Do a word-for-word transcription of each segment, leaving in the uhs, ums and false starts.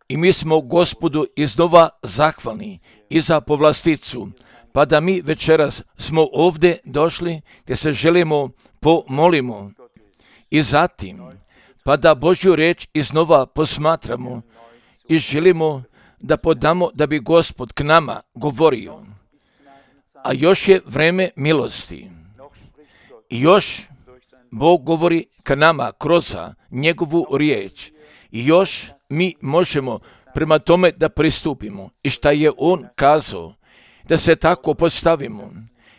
I mi smo Gospodu iznova zahvalni i za povlasticu, pa da mi večeras smo ovdje došli gdje se želimo pomolimo i zatim pa da Božju riječ iznova posmatramo i želimo da podamo da bi Gospod k nama govorio. A još je vreme milosti. I još Bog govori k nama kroz njegovu riječ. I još mi možemo prema tome da pristupimo. I šta je on kazao, da se tako postavimo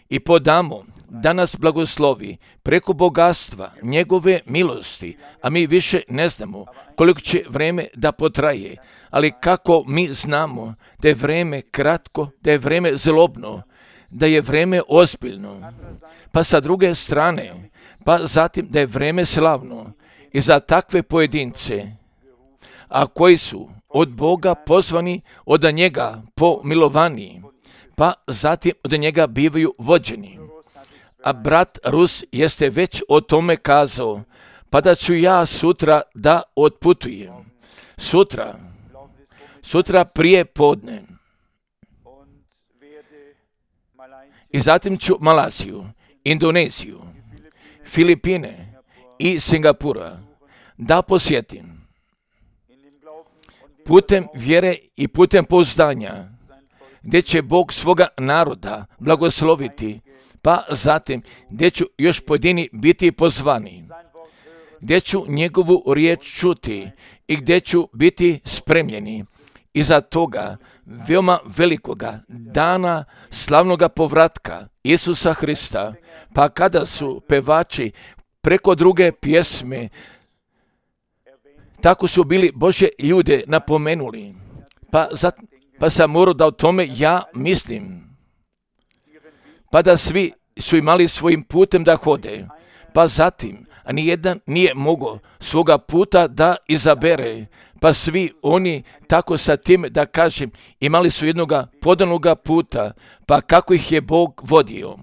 i podamo da nas blagoslovi preko bogatstva njegove milosti, a mi više ne znamo koliko će vreme da potraje, ali kako mi znamo da je vreme kratko, da je vreme zlobno, da je vreme ozbiljno, pa sa druge strane, pa zatim da je vreme slavno i za takve pojedince, a koji su od Boga pozvani, od njega pomilovani, pa zatim od njega bivaju vođeni. A brat Rus jeste već o tome kazao, pa da ću ja sutra da otputujem. Sutra, sutra prije podne. I zatim ću Malaziju, Indoneziju, Filipine i Singapura da posjetim. Putem vjere i putem pouzdanja, gdje će Bog svoga naroda blagosloviti, pa zatim gdje ću još pojedini biti pozvani, gdje ću njegovu riječ čuti i gdje ću biti spremljeni iza toga veoma velikoga dana slavnoga povratka Isusa Hrista, pa kada su pevači preko druge pjesme, tako su bili Božje ljude napomenuli, pa, za, pa sam morao da o tome ja mislim, pa da svi su imali svojim putem da hode, pa zatim, a nijedan nije mogao svoga puta da izabere, pa svi oni tako sa tim, da kažem, imali su jednoga podanoga puta, pa kako ih je Bog vodio.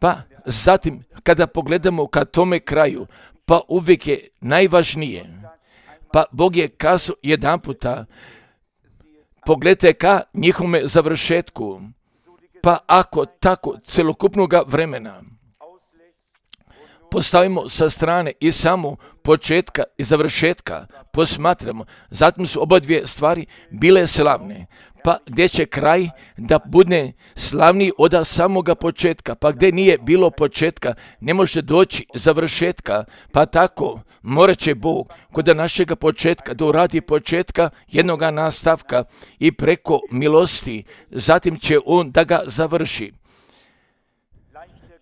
Pa zatim, kada pogledamo ka tome kraju, pa uvijek je najvažnije, pa Bog je kazao jedan puta, pogledajte ka njihovome završetku, pa ako tako celokupnog vremena postavimo sa strane i samo početka i završetka posmatramo, zatim su oba dvije stvari bile slavne, pa gdje će kraj da bude slavniji od samoga početka, pa gdje nije bilo početka ne može doći završetka, pa tako morat će Bog kod našega početka da uradi početka jednoga nastavka i preko milosti, zatim će on da ga završi.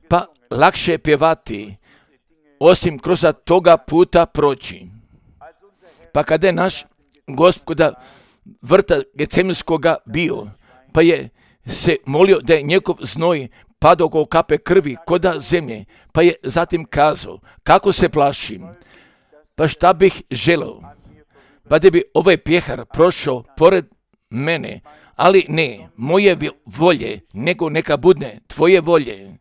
Pa lakše je pjevati osim kroz toga puta proći. Pa kada je naš Gospoda vrta Gecemenskoga bio, pa je se molio da je njegov znoj padao ko kape krvi koda zemlje, pa je zatim kazao, kako se plašim, pa šta bih želeo, pa da bi ovaj pjehar prošao pored mene, ali ne moje volje, nego neka bude tvoje volje.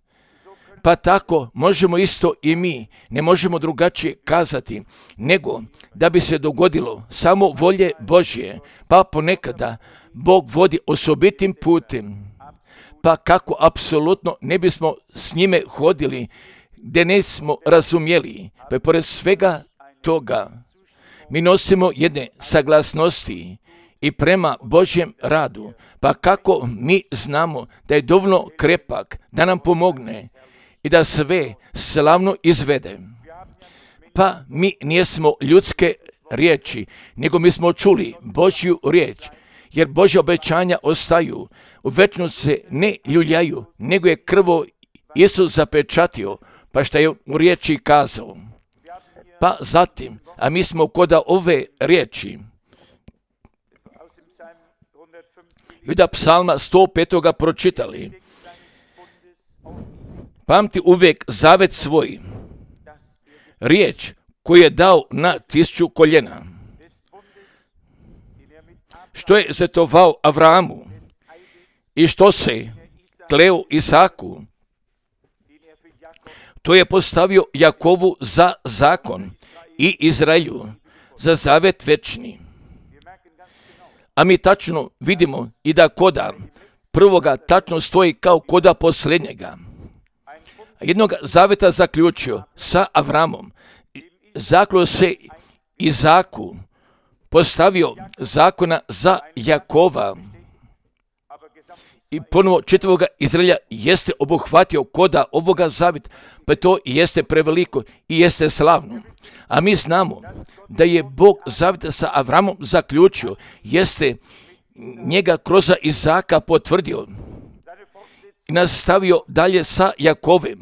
Pa tako možemo isto i mi, ne možemo drugačije kazati, nego da bi se dogodilo samo volje Božje, pa ponekada Bog vodi osobitim putem, pa kako apsolutno ne bismo s njime hodili, gdje ne smo razumjeli, pa pored svega toga mi nosimo jedne saglasnosti i prema Božjem radu, pa kako mi znamo da je dovoljno krepak da nam pomogne i da sve slavno izvede. Pa mi nijesmo ljudske riječi, nego mi smo čuli Božju riječ, jer Božja obećanja ostaju, u večnost se ne ljuljaju, nego je krvo Isus zapečatio, pa šta je u riječi kazao. Pa zatim, a mi smo kod ove riječi, Juda psalma sto petoga pročitali, pamti uvijek zavet svoj, riječ koju je dao na tisuću koljena, što je zetovao Avramu i što se kleo Isaku, to je postavio Jakovu za zakon i Izraelju za zavet večni. A mi tačno vidimo i da koda prvoga tačno stoji kao koda posljednjega. Jednog zaveta zaključio sa Avramom, zaključio se Izaku, postavio zakona za Jakova i ponovo čitavoga Izraelja jeste obuhvatio koda ovoga zaveta, pa to jeste preveliko i jeste slavno. A mi znamo da je Bog zaveta sa Avramom zaključio, jeste njega kroz Izaka potvrdio i nastavio dalje sa Jakovem,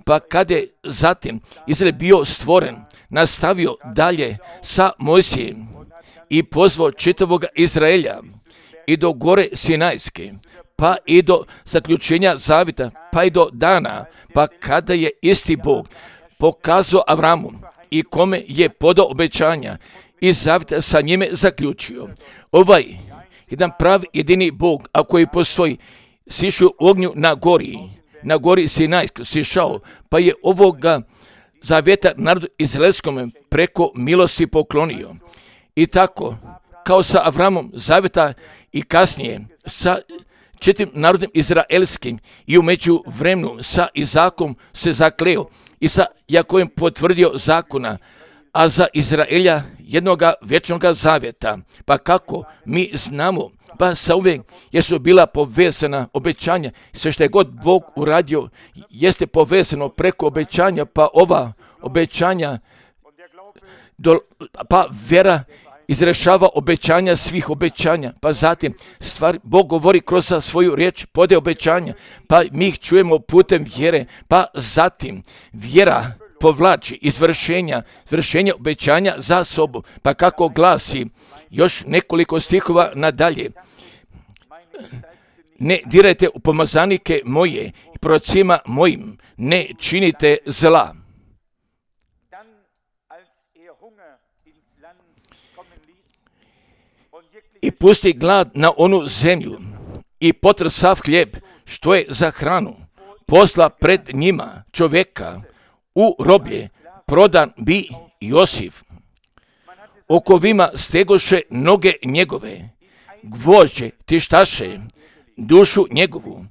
pa kada je zatim Izrael bio stvoren, nastavio dalje sa Mojsijem i pozvao čitavog Izraelja i do gore Sinajske, pa i do zaključenja zaveta, pa i do dana, pa kada je isti Bog pokazao Avramu i kome je podao obećanja i zaveta sa njime zaključio. Ovaj jedan pravi jedini Bog, a koji postoji, sišao u ognju na gori, na gori Sinajskoj sišao, pa je ovoga zaveta narodu izraelskom preko milosti poklonio. I tako, kao sa Avramom zaveta i kasnije sa četiri narodom izraelskim i u međuvremenu sa Izakom se zakleo i sa Jakovem potvrdio zakona, a za Izraelja jednoga vječnoga zavjeta. Pa kako mi znamo, pa sa uvijek jesu bila povezana obećanja, sve što je god Bog uradio jeste povezano preko obećanja, pa ova obećanja, do, pa vera izrešava obećanja svih obećanja, pa zatim stvari, Bog govori kroz svoju riječ, pode obećanja, pa mi ih čujemo putem vjere, pa zatim vjera povlači izvršenja, izvršenja obećanja za sobu, pa kako glasi još nekoliko stihova nadalje. Ne dirajte u pomazanike moje i prorocima mojim, ne činite zla. I pusti glad na onu zemlju i potr sav hljeb što je za hranu, posla pred njima čovjeka u roblje, prodan bi Josif. Okovima stegoše noge njegove, gvožđe tištaše dušu njegovu,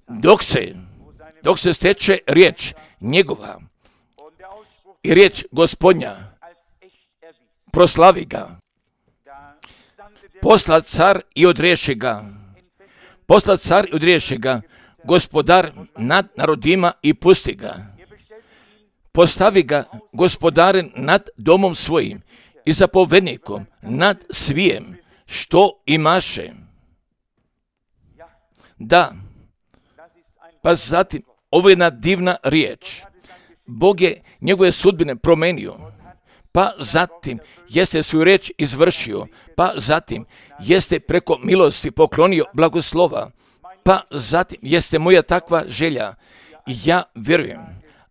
dok se, dok se steče riječ njegova i riječ Gospodnja, proslavi ga. Posla car i odriješi ga, posla car i odriješi ga, gospodar nad narodima i pusti ga. Postavi ga gospodaren nad domom svojim i zapovednikom nad svijem što imaše. Da, pa zatim, ovo je jedna divna riječ. Bog je njegove sudbine promenio, pa zatim jeste svoju riječ izvršio, pa zatim jeste preko milosti poklonio blagoslova, pa zatim jeste moja takva želja. Ja vjerujem,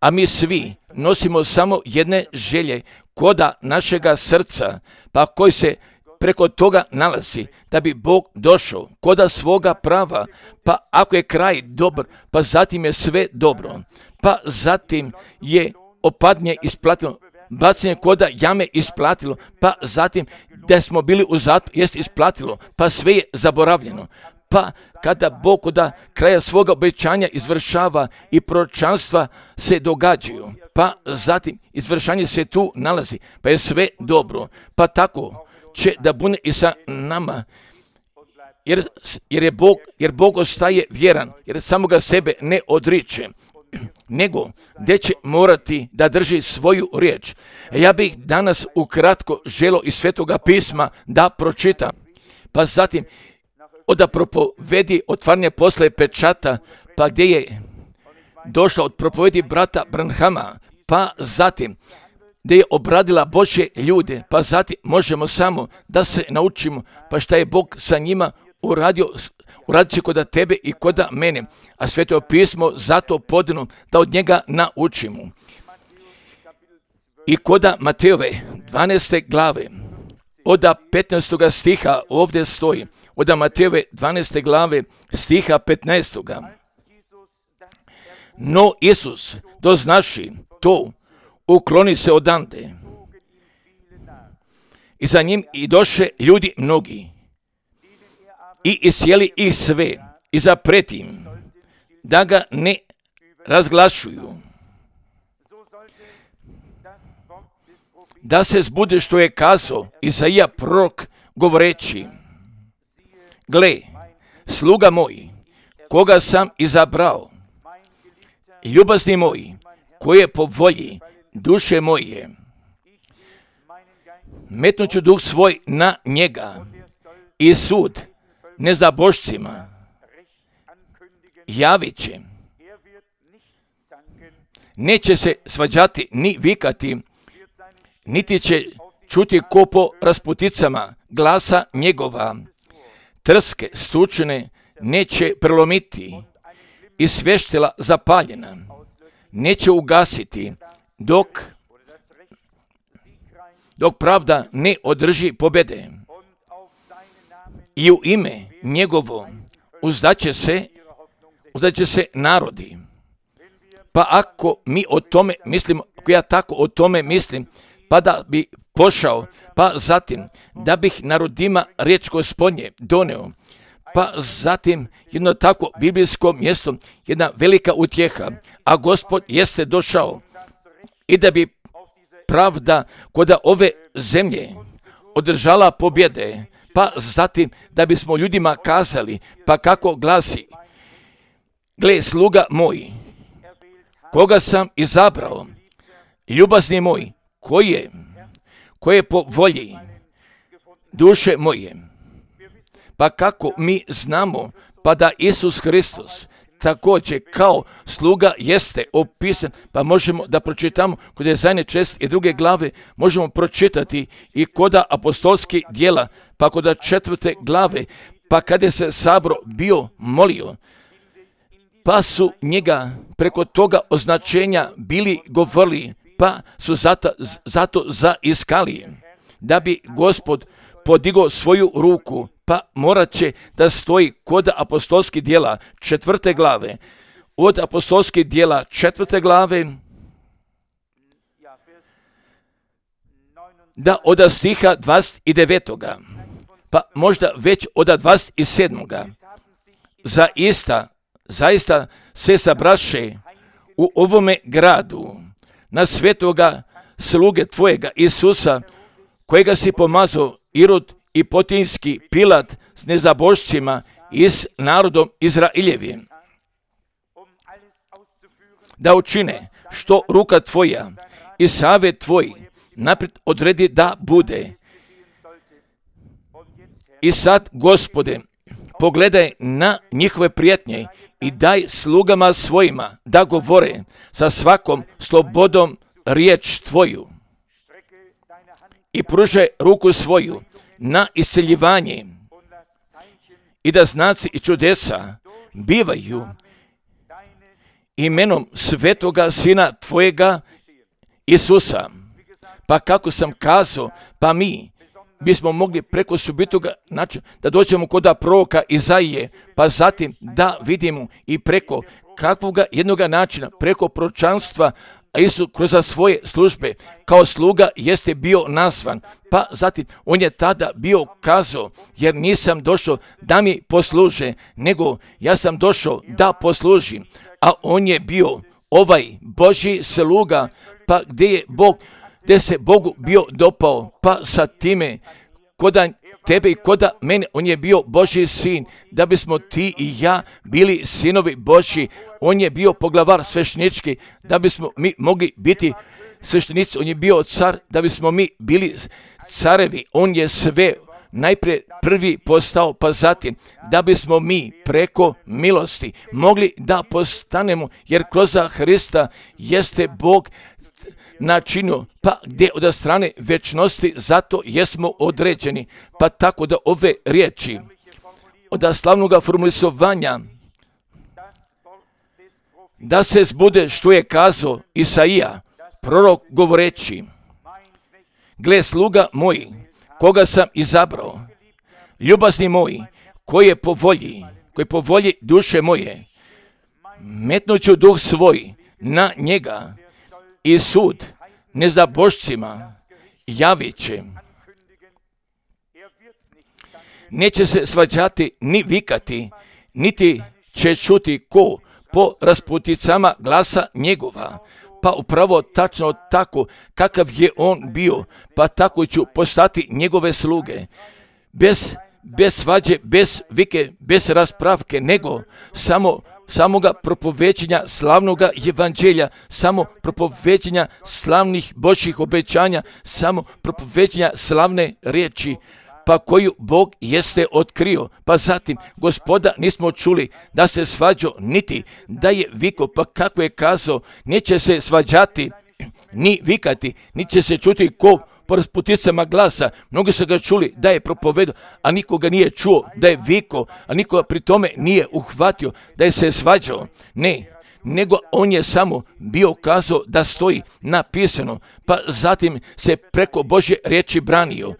a mi svi nosimo samo jedne želje koda našega srca, pa koji se preko toga nalazi, da bi Bog došao koda svoga prava, pa ako je kraj dobar, pa zatim je sve dobro, pa zatim je opadnje isplatilo, bacanje koda jame isplatilo, pa zatim da smo bili u zatvoru jest isplatilo, pa sve je zaboravljeno. Pa kada Bog koda kraja svoga obećanja izvršava i proročanstva se događaju, pa zatim izvršanje se tu nalazi, pa je sve dobro, pa tako će da bude i sa nama, jer, jer je Bog, jer Bog ostaje vjeran, jer samoga sebe ne odriče, nego gdje će morati da drži svoju riječ. Ja bih danas ukratko želio iz Svetoga pisma da pročitam, pa zatim da propovedi otvaranje posle pečata, pa gdje je došla od propovedi brata Branhama, pa zatim gdje je obradila Božje ljude, pa zatim možemo samo da se naučimo, pa šta je Bog sa njima uradio, uradit će koda tebe i koda mene, a Sveto pismo zato podano da od njega naučimo. I koda Matejove dvanaeste glave, od petnaestoga stiha ovdje stoji, od Matejove dvanaeste glave stiha petnaestoga. No Isus, doznaši to, ukloni se odande. i za njim i doše ljudi mnogi i isjeli ih sve i zapretim da ga ne razglašuju, da se zbude što je kazao Izaija prorok govoreći: gle, sluga moj, koga sam izabrao, ljubazni moj, koji je po volji duše moje, metnut ću duh svoj na njega i sud nezabošcima javit će. Neće se svađati ni vikati, niti će čuti ko po rasputicama glasa njegova. Trske stučene neće prelomiti i svještila zapaljena neće ugasiti dok, dok pravda ne održi pobjede. I u ime njegovo uzdaće se, uzdaće se narodi. Pa ako mi o tome mislimo, ako ja tako o tome mislim, pa da bi pošao, pa zatim da bih narodima riječ Gospodnje doneo, pa zatim jedno tako biblijsko mjesto, jedna velika utjeha, a Gospod jeste došao i da bi pravda kod ove zemlje održala pobjede, pa zatim da bismo ljudima kazali, pa kako glasi: gle, sluga moj, koga sam izabrao, ljubazni moj, koji je, koji je po volji duše moje. Pa kako mi znamo, pa da Isus Hristos također kao sluga jeste opisan, pa možemo da pročitamo kod Ezajne čest i druge glave, možemo pročitati i kod apostolskih djela, pa kod četvrte glave, pa kada se sabor bio molio, pa su njega preko toga označenja bili govorili, pa su zato, zato zaiskali, da bi Gospod podigao svoju ruku, pa morat će da stoji kod apostolskih djela četvrte glave. Od apostolskih djela četvrte glave, da od stiha dvadeset devetoga, pa možda već od dvadeset sedmoga, zaista, zaista se sabraše u ovome gradu na svetoga sluge tvojega Isusa, kojega si pomazao Irod i Potinski Pilat s nezabošcima i s narodom Izraeljevim, da učine što ruka tvoja i savjet tvoj naprijed odredi da bude. I sad, Gospode, pogledaj na njihove prijetnje i daj slugama svojima da govore sa svakom slobodom riječ tvoju i pružaj ruku svoju na isceljivanje i da znaci i čudesa bivaju imenom svetoga Sina tvojega Isusa. Pa kako sam kazao, pa mi bismo mogli preko subitoga načina da dođemo kod proroka Izaije, pa zatim da vidimo i preko kakvoga jednoga načina, preko proročanstva, a Isus kroz svoje službe kao sluga jeste bio nazvan, pa zatim on je tada bio kazao, jer nisam došao da mi posluže, nego ja sam došao da poslužim, a on je bio ovaj Božji sluga, pa gdje je Bog, gdje se Bogu bio dopao, pa sa time koda tebe i koda mene, on je bio Božji sin, da bismo ti i ja bili sinovi Božji. On je bio poglavar sveštenički, da bismo mi mogli biti sveštenici. On je bio car, da bismo mi bili carevi. On je sve najprije prvi postao, pa zatim da bismo mi preko milosti mogli da postanemo, jer kroz Hrista jeste Bog načinio, pa gdje od strane večnosti, zato jesmo određeni. Pa tako da ove riječi od slavnoga formulisovanja, da se zbude što je kazao Isaija, prorok govoreći: gle, sluga moj, koga sam izabrao, ljubazni moj, koji je po volji, koji po volji duše moje, metnut ću duh svoj na njega i sud nezabošcima javit će. neće se svađati ni vikati, niti će čuti ko po rasputicama glasa njegova. Pa upravo tačno tako kakav je on bio, pa tako ću postati njegove sluge. Bez, bez svađe, bez vike, bez raspravke, nego samo samoga propoveđenja slavnoga evanđelja, samo propoveđenja slavnih Božjih obećanja, samo propoveđenja slavne riječi, pa koju Bog jeste otkrio. Pa zatim, Gospoda nismo čuli da se svađao, niti da je vikao, pa kako je kazao, neće se svađati, ni vikati, niti će se čuti ko po rasputicama glasa. Mnogi su ga čuli da je propovedao, a niko ga nije čuo da je vikao, a niko pri tome nije uhvatio da je se svađao. Ne, nego on je samo bio kazao da stoji napisano, pa zatim se preko Božje riječi branio.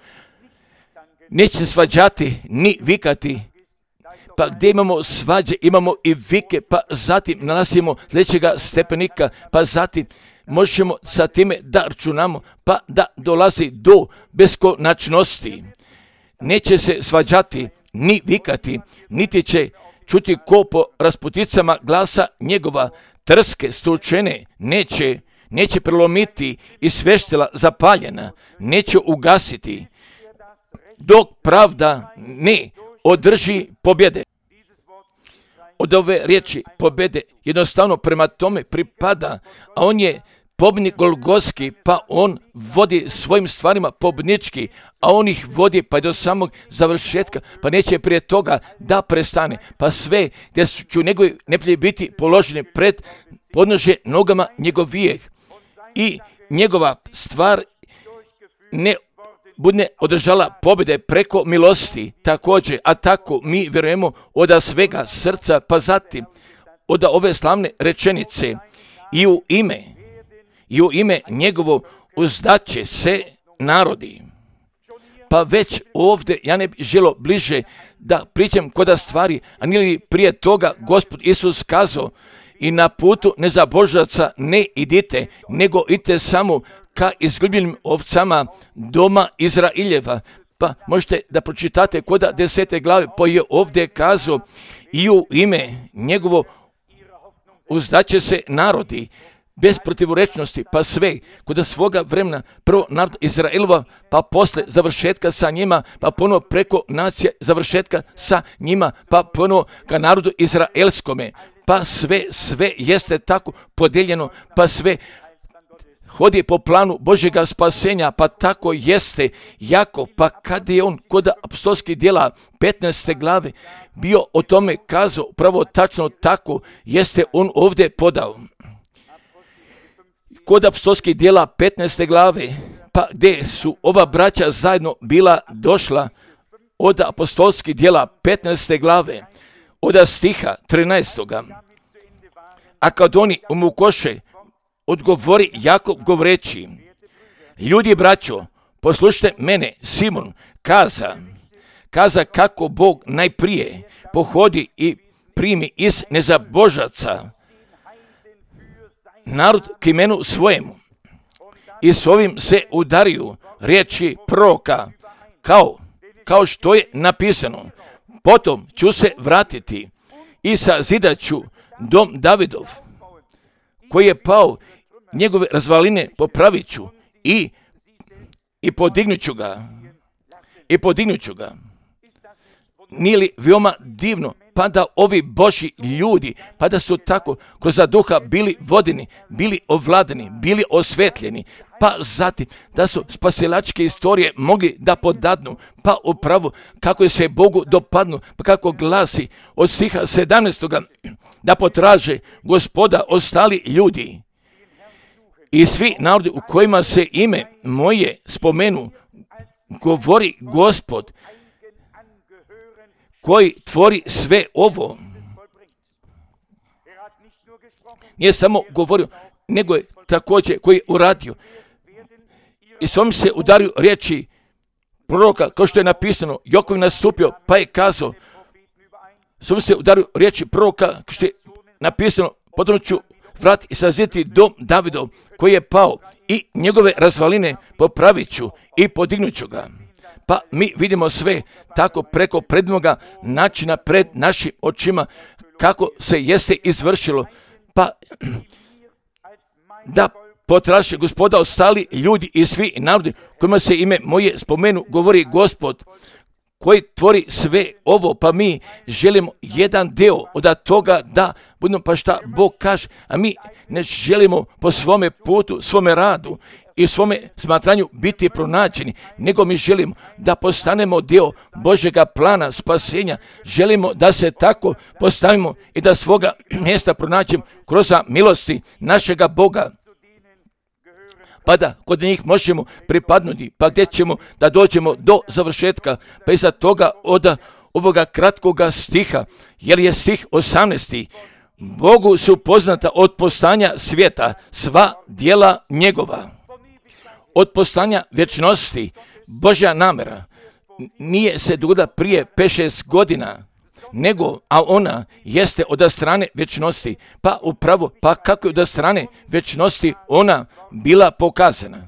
Neće se svađati ni vikati, pa gdje imamo svađe, imamo i vike, pa zatim nalazimo sljedećega stepenika, pa zatim možemo sa time da računamo, pa da dolazi do beskonačnosti. Neće se svađati ni vikati, niti će čuti ko po rasputicama glasa njegova. Trske stučene neće, neće prelomiti i sveštila zapaljena, neće ugasiti, dok pravda ne održi pobjede. Od ove riječi pobjede jednostavno prema tome pripada, a on je pobjednik Golgotski, pa on vodi svojim stvarima pobjednički, a on ih vodi pa do samog završetka, pa neće prije toga da prestane, pa sve gdje ću njegovi neprijatelji biti položeni pred podnožje nogama njegovijeg i njegova stvar ne bude održala pobjede preko milosti također, a tako mi vjerujemo od svega srca, pa zatim od ove slavne rečenice i u ime i u ime njegovo uzdaće se narodi. Pa već ovdje ja ne bih želio bliže da pričam koda stvari, a nije li prije toga Gospod Isus kazao i na putu nezabožaca ne idite, nego idite samo ka izgubljenim ovcama doma Izraeljeva. Pa možete da pročitate koda desete glave, pa je ovdje kazao i u ime njegovo uzdaće se narodi, bez protivorečnosti, pa sve kod svoga vremena, prvo narod Izraelova, pa posle završetka sa njima, pa ponovo preko nacije završetka sa njima, pa ponovo ka narodu izraelskome, pa sve, sve jeste tako podijeljeno, pa sve hodi po planu Božjega spasenja, pa tako jeste jako, pa kad je on kod apostolskih djela petnaeste glave bio o tome kazao, pravo tačno tako jeste on ovdje podao. Kod apostolskih djela petnaeste glave, pa gdje su ova braća zajedno bila došla od apostolskih djela petnaeste glave, od stiha trinaestoga. A kad oni umukoše, odgovori Jakov govoreći, ljudi braćo, poslušajte mene, Simon kaza, kaza kako Bog najprije pohodi i primi iz nezabožaca narod k imenu svojemu. I s ovim se udariju riječi proroka, kao, kao što je napisano. Potom ću se vratiti i sazidat ću dom Davidov, koji je pao, njegove razvaline popravit ću i, i podignut ću ga. I podignut ću ga. Nije li veoma divno, pa da ovi Božji ljudi, pa da su tako kroz duha bili vodeni, bili ovladani, bili osvetljeni, pa zatim da su spasilačke istorije mogli da podadnu, pa upravo kako je se Bogu dopadnu, pa kako glasi od stiha sedamnaestoga da potraže Gospoda ostali ljudi i svi narodi u kojima se ime moje spomenu, govori Gospod, koji tvori sve ovo. Nije samo govorio, nego je također koji je uradio. I s ovim se udario riječi proroka, kao što je napisano, Jakov nastupio, pa je kazao, s ovim se udario riječi proroka, kao što je napisano, potom ću vrat i sazidati dom Davidov, koji je pao, i njegove razvaline popravit ću i podignut ću ga. pa mi vidimo sve tako preko predmoga načina pred našim očima, kako se jeste izvršilo, pa da potraže Gospoda ostali ljudi i svi narodi kojima se ime moje spomenu, govori Gospod, koji tvori sve ovo, pa mi želimo jedan deo od toga da budemo pa šta Bog kaže, a mi ne želimo po svome putu, svome radu i svome smatranju biti pronađeni, nego mi želimo da postanemo dio Božjega plana spasenja, želimo da se tako postavimo i da svoga mjesta pronađemo kroz milosti našega Boga, pa da kod njih možemo pripadnuti, pa gdje ćemo da dođemo do završetka, pa iza toga od ovoga kratkoga stiha, jer je stih osamnaesti, Bogu su poznata od postanja svijeta sva djela njegova. Od postanja vječnosti Božja namjera nije se dogodila prije pet šest godina, nego, a ona jeste od strane vječnosti, pa upravo, pa kako je od strane vječnosti ona bila pokazana.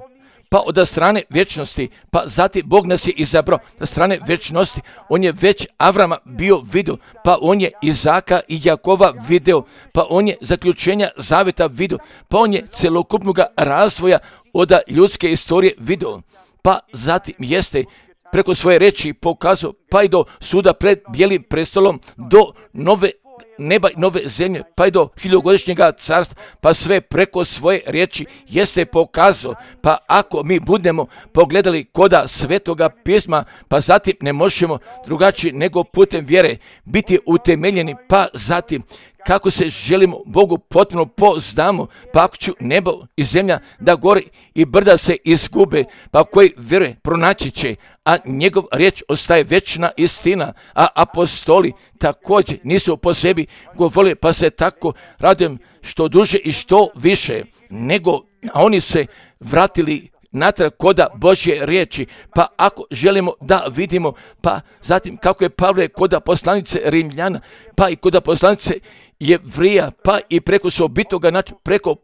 Pa od strane vječnosti, pa zatim Bog nas je izabrao od strane vječnosti, on je već Avrama bio vidio, pa on je Izaka i Jakova video, pa on je zaključenja zaveta vidio, pa on je celokupnog razvoja od ljudske istorije vidio, pa zatim jeste preko svoje reči pokazao, pa i do suda pred bijelim prestolom, do nove neba i nove zemlje, pa i do hiljogodišnjega carstva, pa sve preko svoje riječi jeste pokazao. Pa ako mi budemo pogledali koda Svetoga pisma, pa zatim ne možemo drugačije nego putem vjere biti utemeljeni, pa zatim kako se želimo Bogu potpuno poznamo, pa ako ću nebo i zemlja da gori i brda se izgube, pa koji vjeruje pronaći će, a njegov riječ ostaje vječna istina, a apostoli također nisu po sebi govorili, pa se tako radujem što duže i što više, nego a oni se vratili natrag koda Božje riječi, pa ako želimo da vidimo, pa zatim kako je Pavle koda poslanice Rimljana, pa i koda poslanice Jevrija, pa i preko sobitoga načina, preko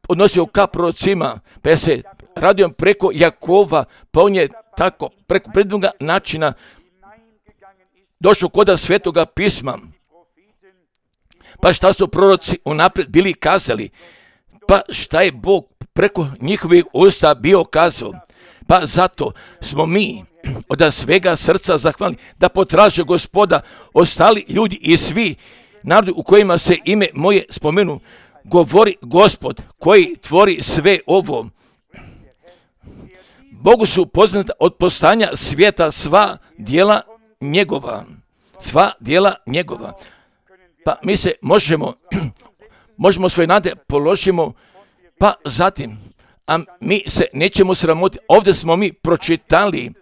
odnosio ka prorocima, pa ja se radujem preko Jakova, pa on je tako preko prednoga načina došao koda Svetoga pisma. Pa šta su proroci unaprijed bili kazali, pa šta je Bog preko njihovih usta bio kazao, pa zato smo mi od svega srca zahvalni da potraže Gospoda ostali ljudi i svi narodi u kojima se ime moje spomenu, govori Gospod koji tvori sve ovo. Bogu su poznata od postanja svijeta sva djela njegova, sva djela njegova. Pa mi se možemo, možemo svoje nade položimo, pa zatim, a mi se nećemo sramotiti. Ovdje smo mi pročitali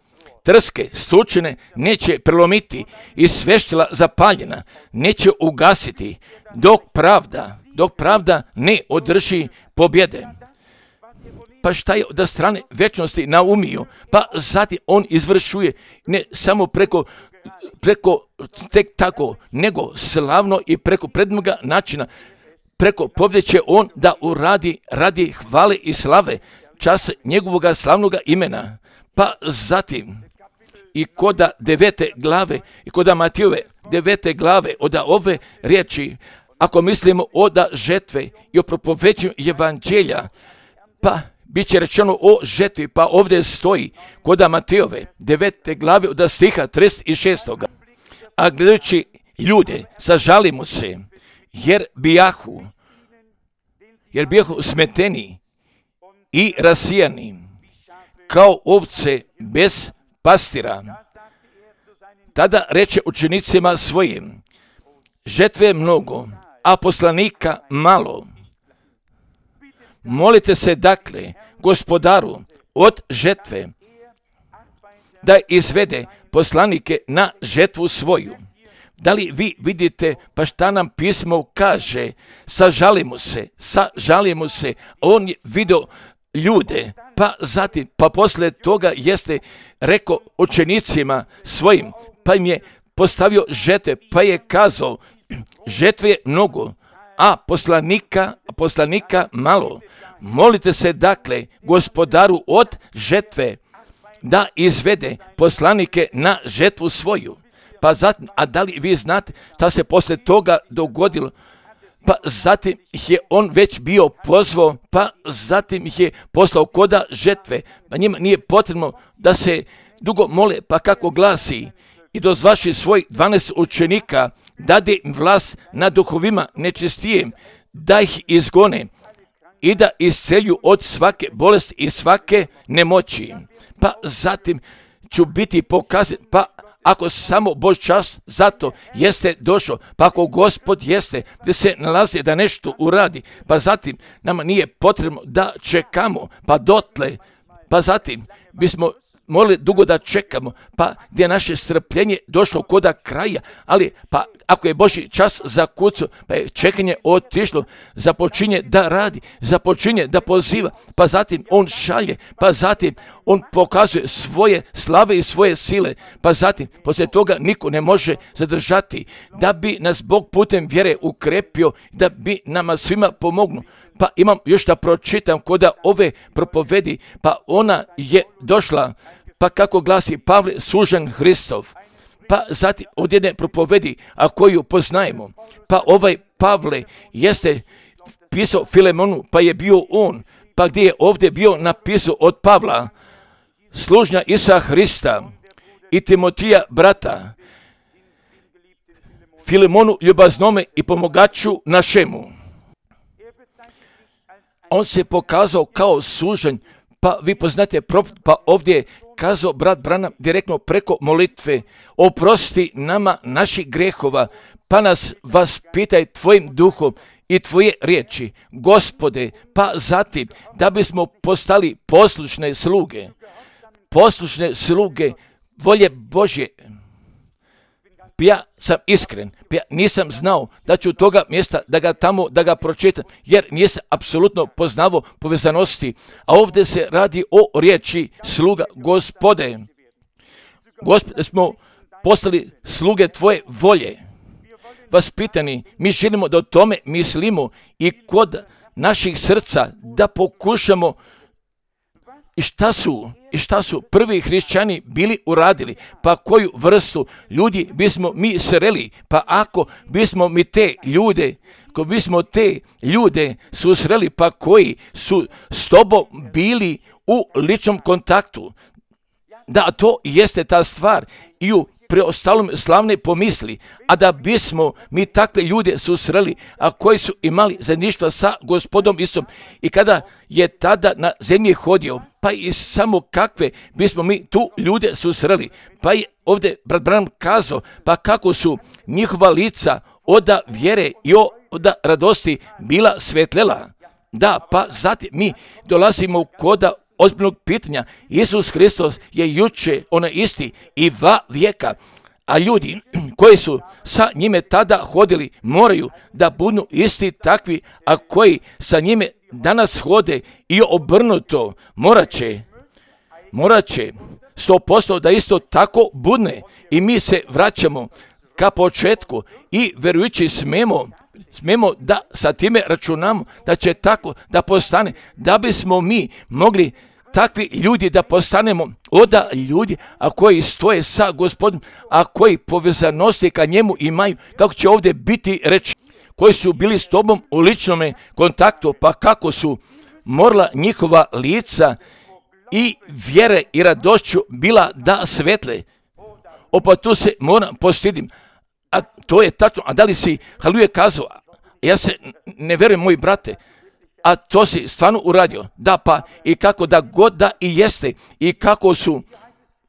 trske, stučene neće prelomiti i sveštila zapaljena neće ugasiti, dok pravda, dok pravda ne održi pobjede. Pa šta je od strane vječnosti naumio, pa zatim on izvršuje ne samo preko, preko tek tako, nego slavno i preko predmoga načina, preko pobjede će on da uradi radi hvale i slave, čas njegovog slavnog imena. Pa zatim i koda devete glave i koda Matijove devete glave od ove riječi, ako mislimo od žetve i o propovećenju evanđelja, pa bit će rečeno o žetvi, pa ovdje stoji koda Matijove devete glave od stiha trideset šest. A gledajući ljude, sažalimo se, jer bijahu, jer bijahu smeteni i rasijani, kao ovce bez pastira. Tada reče učenicima svojim, žetve je mnogo, a poslanika malo. Molite se dakle Gospodaru od žetve da izvede poslanike na žetvu svoju. Da li vi vidite pa šta nam pismo kaže? Sažalimo se, sažalimo se. On je vidio ljude, pa zatim, pa poslije toga jeste rekao učenicima svojim, pa im je postavio žetve, pa je kazao, žetve je mnogo, a poslanika, poslanika malo. Molite se dakle Gospodaru od žetve da izvede poslanike na žetvu svoju. Pa zatim, a da li vi znate šta se poslije toga dogodilo? Pa zatim ih je on već bio pozvao, pa zatim ih je poslao koda žetve. Pa njima nije potrebno da se dugo mole, pa kako glasi: i dozvaši svoj dvanaest učenika, dade im vlast nad duhovima nečistijem, da ih izgone i da iscelju od svake bolesti i svake nemoći. Pa zatim ću biti pokazan, pa ako samo Bož čas zato jeste došao, pa ako Gospod jeste gdje se nalazi da nešto uradi, pa zatim nama nije potrebno da čekamo, pa dotle, pa zatim bismo morali dugo da čekamo, pa gdje je naše strpljenje došlo koda kraja, ali pa ako je Božji čas zakucao, pa je čekanje otišlo, započinje da radi, započinje da poziva, pa zatim on šalje, pa zatim on pokazuje svoje slave i svoje sile, pa zatim poslije toga niko ne može zadržati, da bi nas Bog putem vjere ukrepio, da bi nama svima pomognu. Pa imam još da pročitam koda ove propovedi, pa ona je došla, pa kako glasi Pavle, služen Hristov. Pa zatim od jedne propovedi, a koju poznajemo, pa ovaj Pavle jeste pisao Filemonu, pa je bio on, pa gdje je ovdje bio napisao od Pavla, služnja Isusa Hrista i Timotija brata, Filemonu ljubaznome i pomogaču našemu. On se pokazao kao služen, pa vi poznate, pa ovdje je kazao brat Branham direktno preko molitve: oprosti nama naših grehova, pa nas vaspitaj tvojim duhom i tvoje riječi, Gospode, pa zatim da bismo postali poslušne sluge, poslušne sluge volje Božje. Ja sam iskren, ja nisam znao da ću toga mjesta da ga tamo, da ga pročitam, jer nisam apsolutno poznavao povezanosti, a ovdje se radi o riječi sluga Gospode. Gospode, smo postali sluge tvoje volje. Vaspitani, mi želimo da o tome mislimo i kod naših srca da pokušamo I šta su, i šta su prvi hrišćani bili uradili, pa koju vrstu ljudi bismo mi sreli, pa ako bismo mi te ljude, ako bismo te ljude susreli, pa koji su s tobom bili u ličnom kontaktu, da to jeste ta stvar i u preostalom slavne pomisli, a da bismo mi takve ljude susreli, a koji su imali zajedništva sa Gospodom Isusom i kada je tada na zemlji hodio, pa i samo kakve bismo mi tu ljude susreli. Pa je ovdje brat Branham kazao, pa kako su njihova lica od vjere i od radosti bila svetlela. Da, pa zatim mi dolazimo koda ozbiljnog pitanja. Isus Hristos je juče onaj isti i va vijeka, a ljudi koji su sa njime tada hodili moraju da budu isti takvi, a koji sa njime danas hode i obrnuto morat će, morat će sto posto da isto tako budne. I mi se vraćamo ka početku i vjerujući smemo smemo da sa time računamo da će tako da postane, da bismo mi mogli takvi ljudi da postanemo oda ljudi, a koji stoje sa Gospodom, a koji povezanosti ka njemu imaju, kako će ovdje biti reći, koji su bili s tobom u ličnom kontaktu, pa kako su morala njihova lica i vjere i radošću bila da svetle. Opa, tu se moram postidim, a to je tačno. A da li si haluje kazao? Ja se ne vjerujem, moji brate, a to si stvarno uradio. Da, pa i kako da god da i jeste i kako su,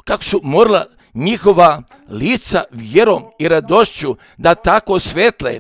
kako su morala njihova lica vjerom i radošću da tako svetle.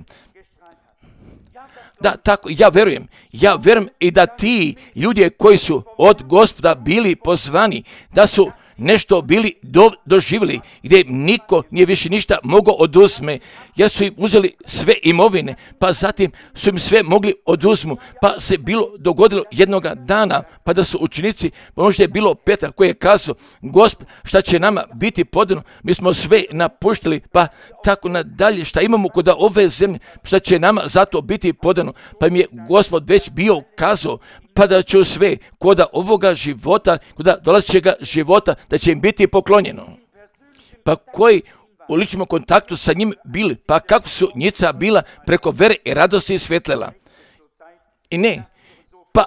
Da, tako, ja vjerujem, ja vjerujem i da ti ljudi koji su od Gospoda bili pozvani, da su nešto bili do, doživjeli, gdje im niko nije više ništa mogao oduzme, jer su im uzeli sve imovine, pa zatim su im sve mogli oduzmu, pa se bilo dogodilo jednoga dana, pa da su učenici, pa možda je bilo Petar koji je kazao, Gospod, šta će nama biti podano, mi smo sve napuštili, pa tako nadalje, šta imamo kod ove zemlje, šta će nama zato biti podano, pa im je Gospod već bio kazao, pa da će sve koda ovoga života, koda dolazećega života, da će im biti poklonjeno. Pa koji u ličnom kontaktu sa njim bili, pa kako su njica bila preko vere i radosti svetlela. I ne, pa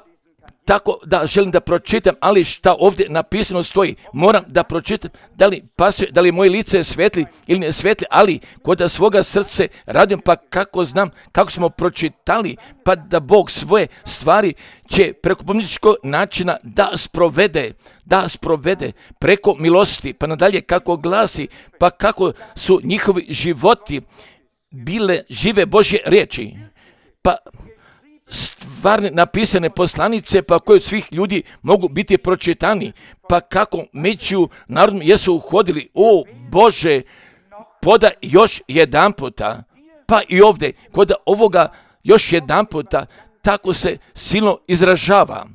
tako da želim da pročitam, ali šta ovdje napisano stoji, moram da pročitam, da li pasuje, da li moje lice je svetli ili ne svetli, ali kod svoga srce radim, pa kako znam, kako smo pročitali, pa da Bog svoje stvari će preko pomničkog načina da sprovede, da sprovede preko milosti, pa nadalje kako glasi, pa kako su njihovi životi bile žive Božje riječi, pa stvarne napisane poslanice, pa koje od svih ljudi mogu biti pročitani, pa kako među narodom jesu uhodili, o Bože, poda još jedan puta, pa i ovdje, kod ovoga još jedan puta, tako se silno izražava.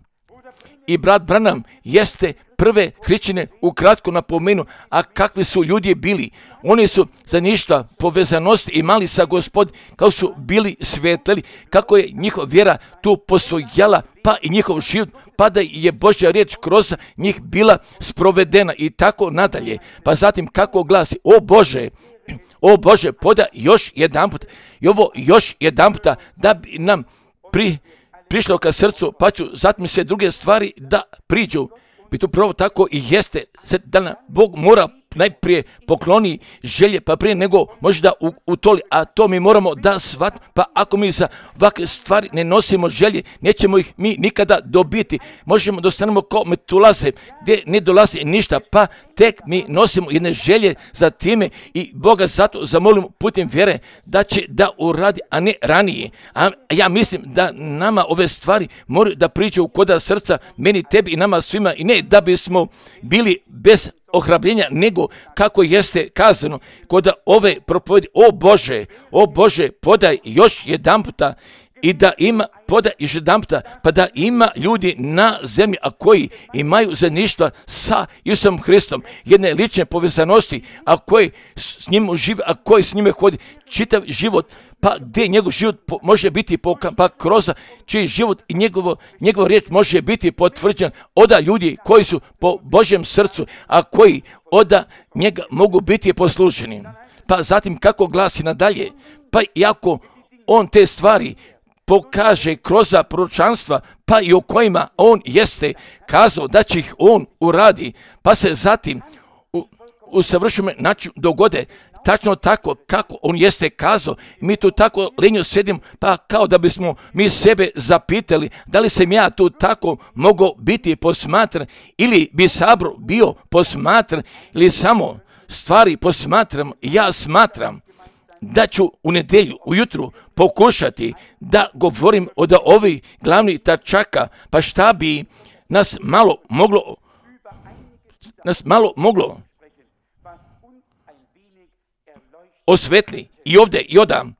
I brat Branham jeste prve hrišćane ukratko napomenu, a kakvi su ljudi bili. Oni su za ništa povezanosti imali sa Gospod, kao su bili svetli, kako je njihova vjera tu postojala, pa i njihov život, pa da je Božja riječ kroz njih bila sprovedena i tako nadalje. Pa zatim kako glasi, o Bože, o Bože, poda još jedan put, i ovo još jedan puta, da bi nam pri prišlo ka srcu, pa ću zatim sve druge stvari da priđu. I to pravo tako i jeste, da nam Bog mora najprije pokloni želje, pa prije nego može da utoli, a to mi moramo da shvatimo, pa ako mi za ovakve stvari ne nosimo želje, nećemo ih mi nikada dobiti. Možemo da ostanemo kao metulaze, gdje ne dolazi ništa, pa tek mi nosimo jedne želje za time i Boga zato zamolimo putem vjere da će da uradi, a ne ranije. A ja mislim da nama ove stvari moraju da priđu koda srca, meni, tebi i nama svima, i ne da bismo bili bez ohrabljenja, nego kako jeste kazano kod ove propovedi, o Bože, o Bože, podaj još jedan puta, i da ima, podaj još jedan puta, pa da ima ljudi na zemlji, a koji imaju zajedništva sa Isusom Hristom, jedne lične povezanosti, a koji s njim žive, a koji s njime hodi čitav život, pa gdje njegov život po, može biti pokazan, pa kroz čiji život i njegovo, njegov riječ može biti potvrđen oda ljudi koji su po Božjem srcu, a koji oda njega mogu biti poslušeni. Pa zatim kako glasi nadalje, pa iako on te stvari pokaže kroz proročanstva, pa i o kojima on jeste kazao da će ih on uradi, pa se zatim u, u savršenom načinu dogode tačno tako kako on jeste kazao. Mi tu tako lenjo sedimo, pa kao da bismo mi sebe zapitali da li sam ja tu tako mogao biti posmatran, ili bi sabor bio posmatran, ili samo stvari posmatram. Ja smatram da ću u nedjelju ujutru pokušati da govorim od ovih glavnih tačaka, pa šta bi nas malo moglo nas malo moglo osvetli i ovdje i odam.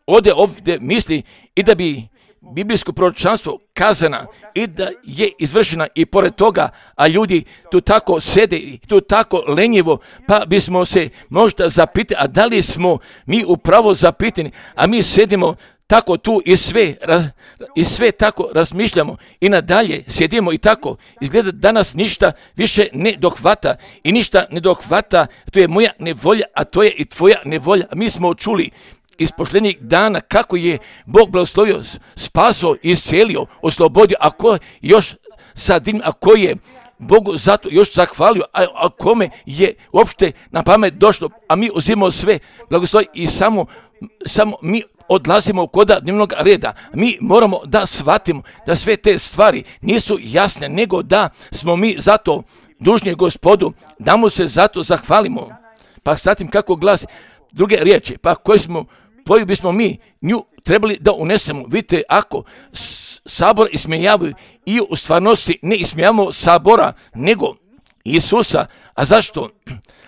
Ovdje ovdje misli i da bi biblijsko proročanstvo kazana i da je izvršena i pored toga, a ljudi tu tako sede i tu tako lenjivo, pa bismo se možda zapitali, a da li smo mi upravo zapitani, a mi sedimo tako tu i sve, i sve tako razmišljamo i nadalje sjedimo i tako. Izgleda da nas ništa više ne dohvata i ništa ne dohvata, to je moja nevolja, a to je i tvoja nevolja. Mi smo čuli iz posljednjih dana kako je Bog blagoslovio, spasao, iscelio, oslobodio, a ko još sad, a ko je Bogu zato još zahvalio, a, a kome je uopšte na pamet došlo, a mi uzimamo sve blagoslovi i samo, samo mi odlazimo kod dnevnog reda. Mi moramo da shvatimo da sve te stvari nisu jasne, nego da smo mi zato dužni Gospodu, da mu se zato zahvalimo. Pa zatim kako glasi druge riječi, pa koje smo, koju bismo mi nju trebali da unesemo. Vidite, ako sabor ismijavaju i u stvarnosti ne ismijavamo sabora, nego Isusa. A zašto?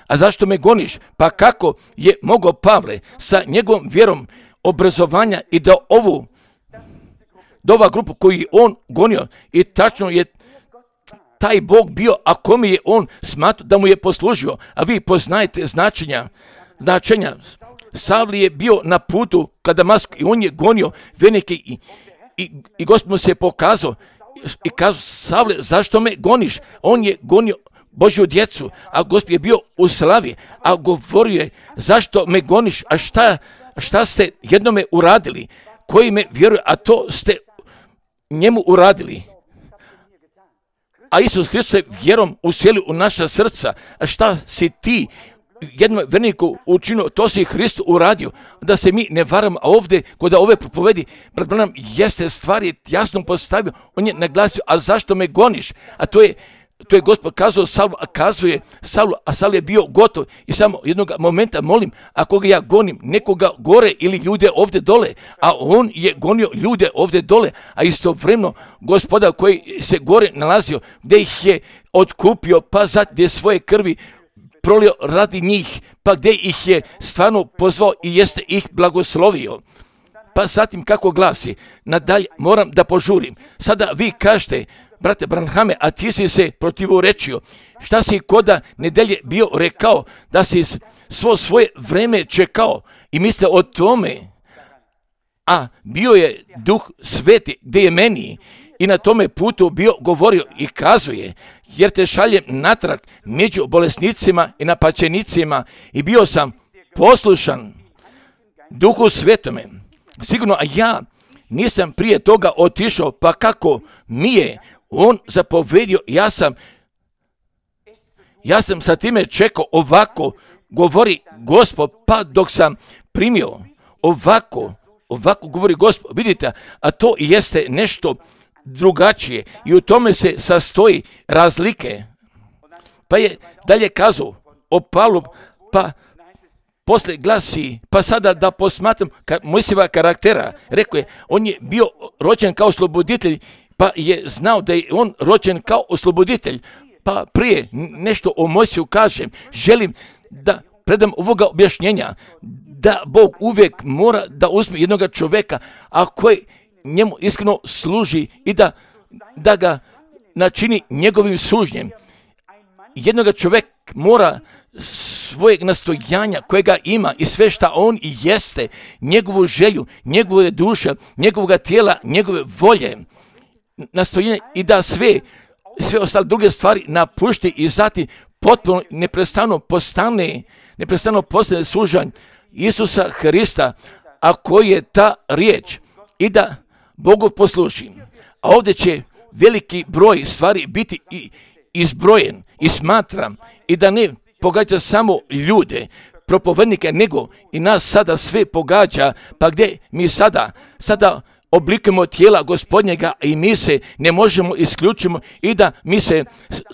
A zašto me goniš? Pa kako je mogao Pavle sa njegovom vjerom obrazovanja i da ovu, da ova grupa koju je on gonio i tačno je taj Bog bio, a kome je on smatrao da mu je poslužio, a vi poznajete značenja, značenja. Savli je bio na putu ka Damasku i on je gonio vernike i, i, i Gospod mu se pokazao i kažu, Savle, zašto me goniš? On je gonio Božju djecu, a Gospod je bio u slavi, a govorio je, zašto me goniš, a šta, šta ste jednome uradili, koji me vjeruje, a to ste njemu uradili. A Isus Hristos je vjerom uselio u naša srca, a šta si ti jednom verniku učinio, to si Hristos uradio, da se mi ne varamo, a ovdje kod ove propovedi, brat Branham jeste stvari jasno postavio, on je naglasio, a zašto me goniš, a to je To je Gospod kazao Saulu, a kazuje Saulu, a Saul je bio gotov i samo jednog momenta molim, ako ga ja gonim, nekoga gore ili ljude ovdje dole, a on je gonio ljude ovdje dole, a istovremeno Gospoda koji se gore nalazio, gdje ih je otkupio, pa zatim svoje krvi prolio radi njih, pa gdje ih je stvarno pozvao i jeste ih blagoslovio. Pa zatim kako glasi, nadalje moram da požurim, sada vi kažete, brate Branhame, a ti si se protivorečio. Šta si koda nedelje bio rekao, da si svo svoje vreme čekao i misle o tome, a bio je Duh Sveti gdje je meni i na tome putu bio govorio i kazuje, jer te šaljem natrag među bolesnicima i napačenicima i bio sam poslušan Duhu Svetome. Sigurno, a ja nisam prije toga otišao, pa kako mi je on zapovedio, ja sam, ja sam sa time čekao, ovako govori Gospod, pa dok sam primio, ovako, ovako govori Gospod, vidite, a to jeste nešto drugačije i u tome se sastoji razlike. Pa je dalje kazao o Pavlu, pa poslije glasi, pa sada da posmatram Mojsijeva karaktera, rekao je, on je bio rođen kao osloboditelj, pa je znao da je on rođen kao osloboditelj. Pa prije nešto o Mojsiju kažem, želim da predam ovoga objašnjenja, da Bog uvijek mora da uzme jednoga čovjeka, a koji njemu iskreno služi i da, da ga načini njegovim sužnjem. Jednoga čovjek mora svojeg nastojanja kojega ima i sve šta on jeste, njegovu želju, njegove duše, njegovog tijela, njegove volje, nastojanje i da sve, sve ostale druge stvari napušti i zatim potpuno neprestano postane, neprestano postane služanj Isusa Hrista, a koji je ta riječ i da Bogu posluži. A ovdje će veliki broj stvari biti i izbrojen i smatram i da ne pogađa samo ljude, propovednike, nego i nas sada sve pogađa, pa gdje mi sada, sada oblikujemo tijela Gospodnjega i mi se ne možemo isključimo i da mi se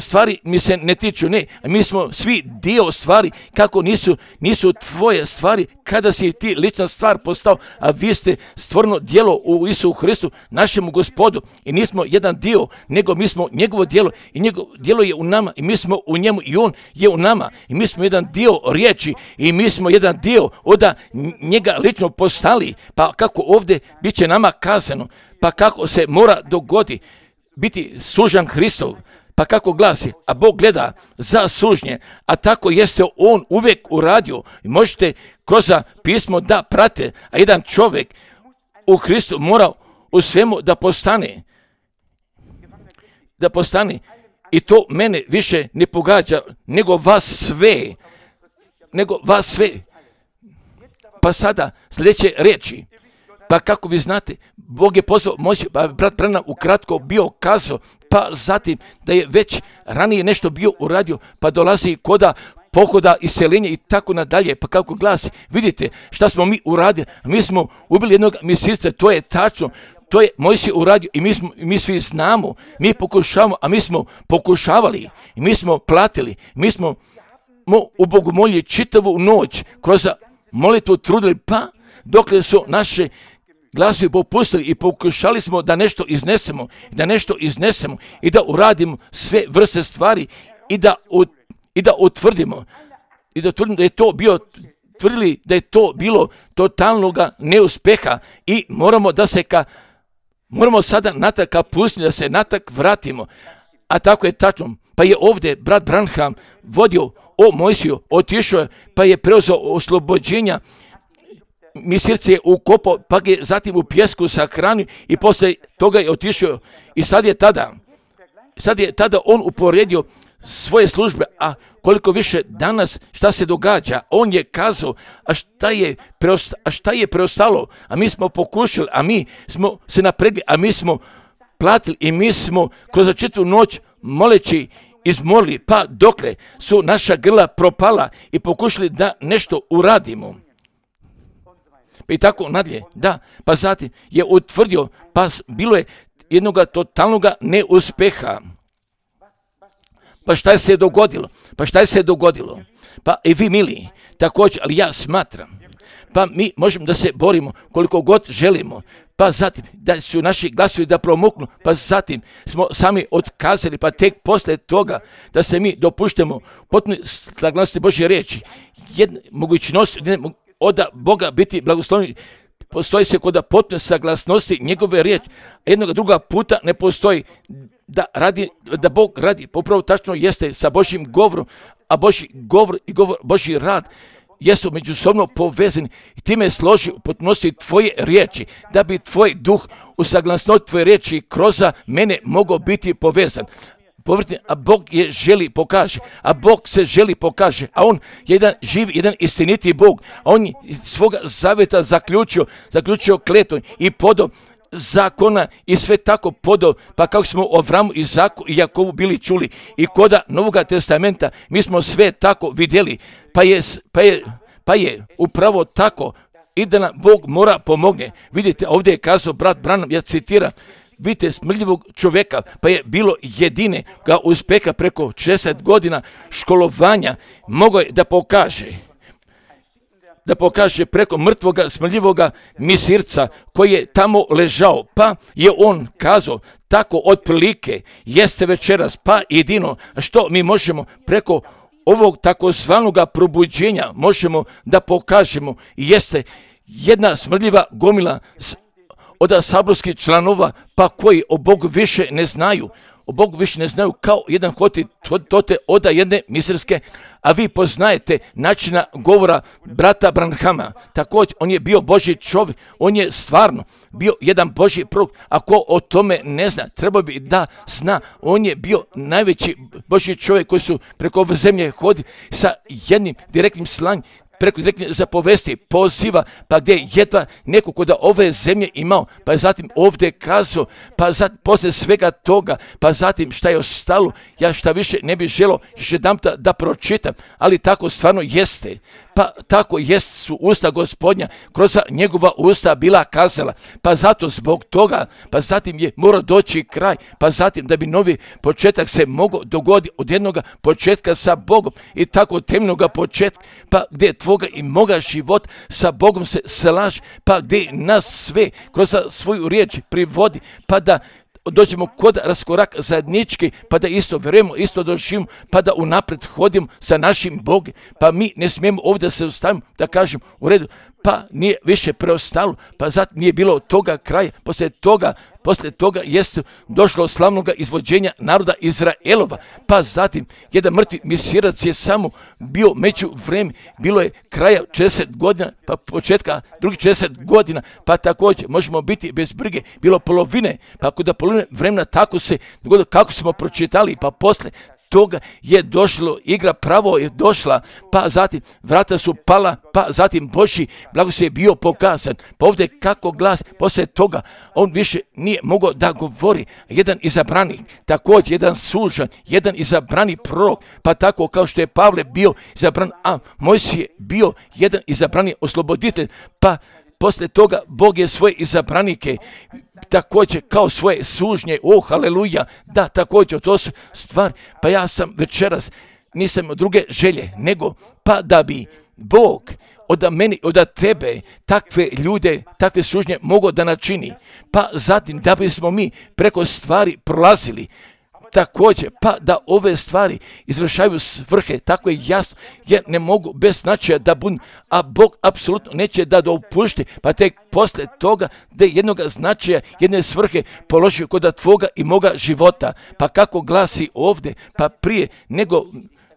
stvari mi se ne tiču, ne, mi smo svi dio stvari, kako nisu, nisu tvoje stvari, kada si ti lična stvar postao, a vi ste stvoreno djelo u Isusu Hristu, našemu Gospodu i nismo jedan dio, nego mi smo njegovo djelo i njegovo djelo je u nama i mi smo u njemu i on je u nama i mi smo jedan dio riječi i mi smo jedan dio oda njega lično postali, pa kako ovdje bit će nama kazano, pa kako se mora dogodi biti sužan Hristov, pa kako glasi, a Bog gleda za sužnje, a tako jeste on uvijek uradio i možete kroz pismo da prate, a jedan čovjek u Hristu mora u svemu da postane, da postane i to mene više ne pogađa nego vas sve, nego vas sve. Pa sada sljedeće riječi. Pa kako vi znate, Bog je pozvao Mojsiju, pa brat Branham ukratko bio kazao, pa zatim da je već ranije nešto bio uradio, pa dolazi koda pohoda, iseljenja i tako nadalje, pa kako glasi, vidite šta smo mi uradili, mi smo ubili jednog Misirca, to je tačno, to je Mojsij uradio i mi, smo, mi svi znamo, mi pokušavamo, a mi smo pokušavali, i mi smo platili, mi smo u bogomolji čitavu noć kroz molitvu trudili, pa dokle su naše glasovi popustili i pokušali smo da nešto iznesemo, da nešto iznesemo i da uradimo sve vrste stvari i da, ut, i da utvrdimo i da utvrdimo da je to bio tvrdili da je to bilo totalnog neuspeha i moramo da se ka moramo sada natak ka pustiti, da se natak vratimo. A tako je tačno. Pa je ovdje brat Branham vodio o Mojsiju, otišao pa je preuzeo oslobođenja misirce je ukopao, pa ga je zatim u pjesku sahranio i poslije toga je otišao. I sad je tada, sad je tada on uporedio svoje službe, a koliko više danas šta se događa, on je kazao, a šta je, preosta, a šta je preostalo, a mi smo pokušali, a mi smo se napregli, a mi smo platili i mi smo kroz čitavu noć moleći izmolili, pa dokle su naša grla propala i pokušali da nešto uradimo. Pa i tako nadalje, da, pa zatim je utvrdio, pa bilo je jednog totalnog neuspeha. Pa šta je se dogodilo? Pa šta je se dogodilo? Pa i vi mili, također, ali ja smatram, pa mi možemo da se borimo koliko god želimo, pa zatim da su naši glasovi da promuknu, pa zatim smo sami otkazali, pa tek poslije toga da se mi dopuštamo potpuno saglasnosti Božje riječi, jedna mogućnost od Boga biti blagosloveni, postoji se kod potpune saglasnosti njegove riječi, jednog druga puta ne postoji da radi, da Bog radi, upravo tačno jeste sa Božjim govorom, a Božji govor i govor, Božji rad jesu međusobno povezani i time složi u potpunosti tvoje riječi, da bi tvoj duh u saglasnosti tvoje riječi kroz mene mogao biti povezan. Povrtni, a Bog je želi pokaže, a Bog se želi pokaže, a on je jedan živ, jedan istiniti Bog, a on je svoga zaveta zaključio, zaključio kletom i podom zakona i sve tako podo, pa kako smo o Avramu i Jakovu bili čuli i koda Novoga testamenta, mi smo sve tako vidjeli, pa je, pa je, pa je upravo tako i da nam Bog mora pomogne. Vidite, ovdje je kazao brat Branham, ja citiram, vidite smrljivog čovjeka, pa je bilo jedine ga uspeha preko šezdeset godina školovanja, mogao je da pokaže, da pokaže preko mrtvoga, smrljivoga misirca koji je tamo ležao, pa je on kazao, tako otprilike jeste večeras, pa jedino što mi možemo preko ovog takozvanog probuđenja možemo da pokažemo, jeste jedna smrljiva gomila od saborskih članova, pa koji o Bogu više ne znaju, o Bogu više ne znaju kao jedan hoti tote oda jedne misirske, a vi poznajete načina govora brata Branhama. Također, on je bio Božji čovjek, on je stvarno bio jedan Božji prorok, a ko o tome ne zna, treba bi da zna, on je bio najveći Božji čovjek koji su preko ove zemlje hodili sa jednim direktnim slanjem, preko direktne zapovesti, poziva, pa gdje je jedva neko kod ove zemlje imao, pa je zatim ovdje kazao, pa zatim poslije svega toga, pa zatim šta je ostalo, ja šta više ne bih želio još jedan da, da pročitam, ali tako stvarno jeste, pa tako jest su usta Gospodnja, kroz njegova usta bila kazala, pa zato zbog toga, pa zatim je morao doći kraj, pa zatim da bi novi početak se mogao dogoditi od jednog početka sa Bogom i tako temeljnog početka, pa gdje tvoga i moga život sa Bogom se slaže, pa gdje nas sve kroz svoju riječ privodi, pa da dođemo kod raskorak zajednički, pa da isto vjerujemo, isto doživimo, pa da unaprijed hodimo sa našim Bogom, pa mi ne smijemo ovdje se ustavimo da kažem u redu, pa nije više preostalo, pa zato nije bilo toga kraja, poslije toga, poslije toga jeste došlo slavnog izvođenja naroda Izraelova, pa zatim jedan mrtvi misirac je samo bio među vreme, bilo je kraja šezdeset godina, pa početka drugih šezdeset godina, pa također možemo biti bez brige, bilo polovine, pa kod polovine vremena tako se dogodilo kako smo pročitali, pa poslije toga je došlo, igra pravo je došla, pa zatim vrata su pala, pa zatim Božji blagoslov je bio pokazan. Pa ovdje kako glas, poslije toga on više nije mogao da govori. Jedan izabrani, također jedan sužan, jedan izabrani prorok, pa tako kao što je Pavle bio izabran, a Mojsije je bio jedan izabrani osloboditelj, pa poslije toga Bog je svoje izabranike također kao svoje sužnje, o haleluja, da također to su stvari, pa ja sam večeras, nisam imao druge želje, nego pa da bi Bog od meni, od tebe, takve ljude, takve sužnje mogao da načini, pa zatim da bismo mi preko stvari prolazili, također, pa da ove stvari izvršaju svrhe, tako je jasno, jer ne mogu bez značaja da budu, a Bog apsolutno neće da dopušti, pa tek posle toga da jednog značaja, jedne svrhe položio kod tvoga i moga života, pa kako glasi ovdje, pa prije nego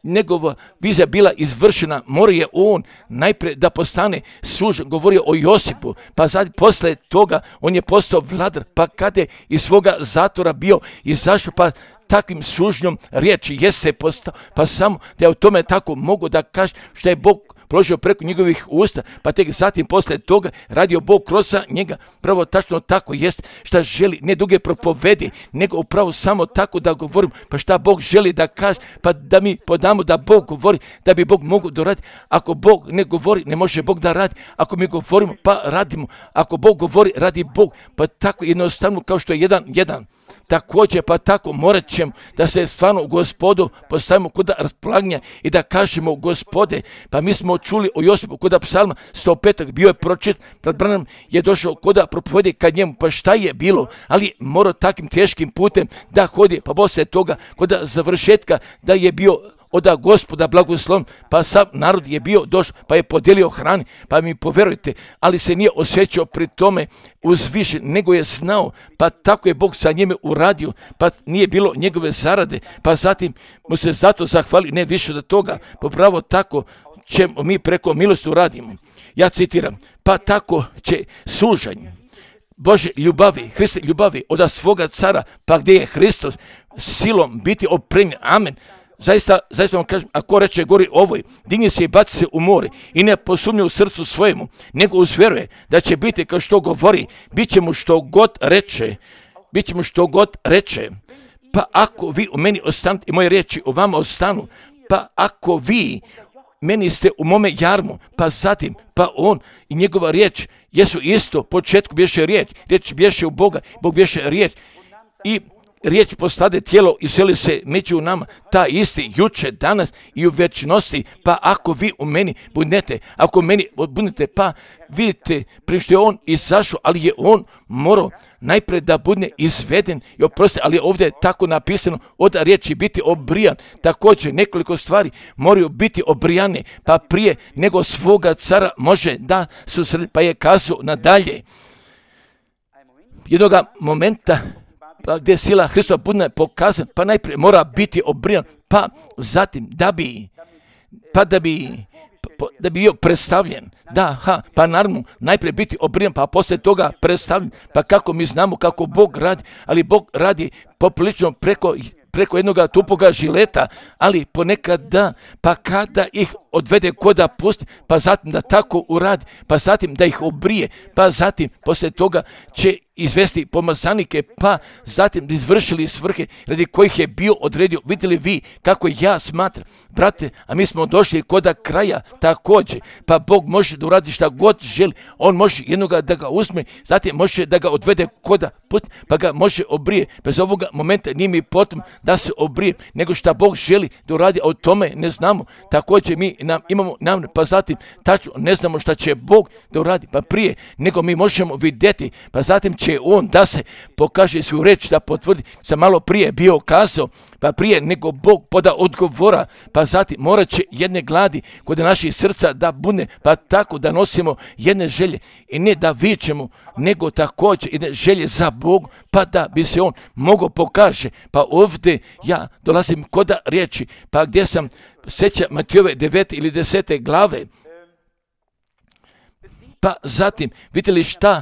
njegova vizija bila izvršena, mora je on najprije da postane sužen. Govorio o Josipu, pa zatim posle toga on je postao vladar, pa kada je iz svoga zatvora bio izašao, pa takvim sužnjom riječi jeste postao, pa samo da je o tome tako mogu da kaže što je Bog položio preko njegovih usta, pa tek zatim posle toga radio Bog kroz njega. Pravo tačno tako jest šta želi, ne duge propovedi, nego upravo samo tako da govorim, pa šta Bog želi da kaže, pa da mi podamo da Bog govori, da bi Bog mogao da radi. Ako Bog ne govori, ne može Bog da radi. Ako mi govorimo, pa radimo. Ako Bog govori, radi Bog. Pa tako jednostavno kao što je jedan, jedan. Također, pa tako morat ćemo da se stvarno u Gospodu postavimo kod raspolaganja i da kažemo Gospode, pa mi smo čuli o Josipu kod psalma sto pet. bio je pročit, brat Branham je došao kod propovedi kad njemu, pa šta je bilo, ali morao takvim teškim putem da hodi, pa poslije toga kod završetka da je bio od Gospoda blagoslovn, pa sav narod je bio došao, pa je podijelio hrani, pa mi poverujte, ali se nije osjećao pri tome uzvišen, nego je znao, pa tako je Bog sa njime uradio, pa nije bilo njegove zarade, pa zatim mu se zato zahvali, ne više od toga, pa pravo tako ćemo mi preko milosti uradimo. Ja citiram, pa tako će sužanj Bože ljubavi, Hriste ljubavi od svoga cara, pa gdje je Hristos silom biti opremljen, amen. Zaista, zaista vam kažem, ako reče gori ovoj, digni se i baci se u more i ne posumnje u srcu svojemu, nego uzveruje da će biti kao što govori, bit će mu što god reče, bit će mu što god reče. Pa ako vi u meni ostanete i moje riječi u vama ostanu, pa ako vi meni ste u mome jarmu, pa zatim, pa on i njegova riječ jesu isto, početku bješe riječ, riječ bješe u Boga, Bog bješe riječ i riječ postade tijelo i useli se među nama, ta isti juče, danas i u večnosti, pa ako vi u meni budete, ako u meni budete, pa vidite, prije što je on izašao, ali je on morao najprije da bude izveden i oprosti, ali ovdje je tako napisano od riječi biti obrijan, također nekoliko stvari moraju biti obrijane, pa prije nego svoga cara može da susredi, pa je kazao nadalje. Jednoga momenta, pa gdje sila Hristova bude pokazan, pa najprije mora biti obrijan, pa zatim da bi, pa da bi, pa, da bi bio predstavljen, da, ha, pa naravno najprije biti obrijan, pa poslije toga predstavljen, pa kako mi znamo kako Bog radi, ali Bog radi poprilično preko preko jednog tupoga žileta, ali ponekad da, pa kada ih odvede koda pusti, pa zatim da tako uradi, pa zatim da ih obrije, pa zatim poslije toga će izvesti pomazanike, pa zatim da izvršili svrhe radi kojih je bio odredio. Vidjeli vi kako ja smatram, brate, a mi smo došli koda kraja također, pa Bog može da uradi šta god želi, on može jednoga da ga uzme, zatim može da ga odvede koda pusti, pa ga može obrije. Bez ovoga momenta nije mi potom da se obrije, nego šta Bog želi da uradi, a o tome ne znamo. Također mi nam imamo namjer, pa zatim tačno ne znamo šta će Bog da uradi, pa prije nego mi možemo vidjeti, pa zatim će on da se pokaže svoju reč, da potvrdi, sam malo prije bio kazao, pa prije nego Bog poda odgovora, pa zatim morat će jedne gladi kod naših srca da bude, pa tako da nosimo jedne želje i ne da vičemo, nego također jedne želje za Bog, pa da bi se on mogao pokaže. Pa ovdje ja dolazim kod riječi, pa gdje sam sjeća Matijove devete ili desete glave, pa zatim vidite li šta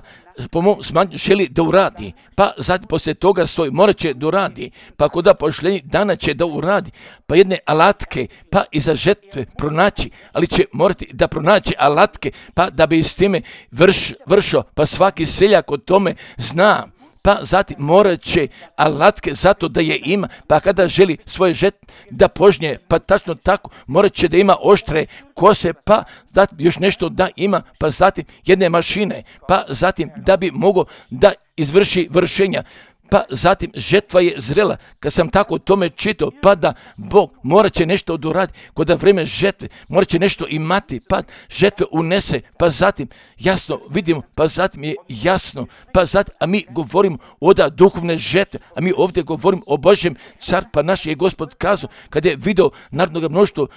po mom smatranju želi da uradi, pa zatim poslije toga stoji, morat će da uradi, pa kod pošljenja dana će da uradi, pa jedne alatke, pa i za žetve pronaći, ali će morati da pronaći alatke, pa da bi s time vrš, vršao, pa svaki seljak o tome zna. Pa zatim morat će alatke zato da je ima, pa kada želi svoje žetve da požnje, pa tačno tako, morat će da ima oštre kose, pa zatim još nešto da ima, pa zatim jedne mašine, pa zatim da bi mogao da izvrši vršenja. Pa zatim žetva je zrela, kad sam tako o tome čitao, pa da Bog morat će nešto odurati, kod da vreme žetve, morat će nešto imati, pa žetve unese, pa zatim jasno vidimo, pa zatim je jasno, pa zatim, a mi govorimo o da duhovne žetve, a mi ovdje govorimo o Božjem car, pa naš je Gospod kazao, kad je video narodnog mnoštvo,